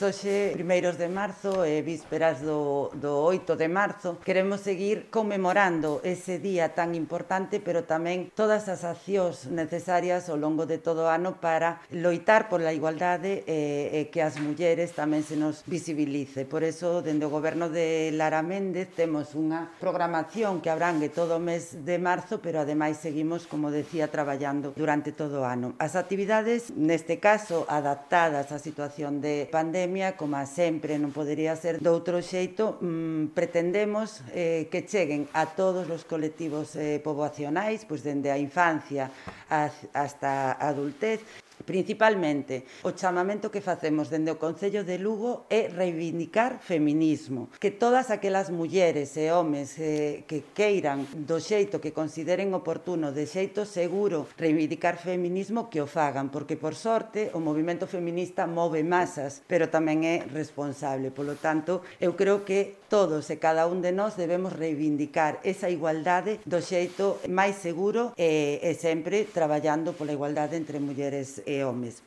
Hoxe, primeiros de marzo e vísperas do 8 de marzo, queremos seguir conmemorando ese día tan importante, pero tamén todas as accións necesarias ao longo de todo o ano para loitar pola igualdade e que as mulleres tamén se nos visibilice. Por eso, dende o Goberno de Lara Méndez, temos unha programación que abrangue todo o mes de marzo, pero ademais seguimos, como decía, traballando durante todo o ano. As actividades, neste caso, adaptadas á situación de pandemia, como sempre non podería ser de outro xeito, pretendemos que cheguen a todos os colectivos poboacionais, pois dende a infancia hasta a adultez. Principalmente, o chamamento que facemos dende o Concello de Lugo é reivindicar feminismo, que todas aquelas mulleres e homes que queiran do xeito que consideren oportuno, de xeito seguro, reivindicar feminismo, que o fagan, porque por sorte o movimento feminista move masas, pero tamén é responsable. Polo tanto, eu creo que todos e cada un de nós debemos reivindicar esa igualdade do xeito máis seguro e sempre traballando pola igualdade entre mulleres e homes.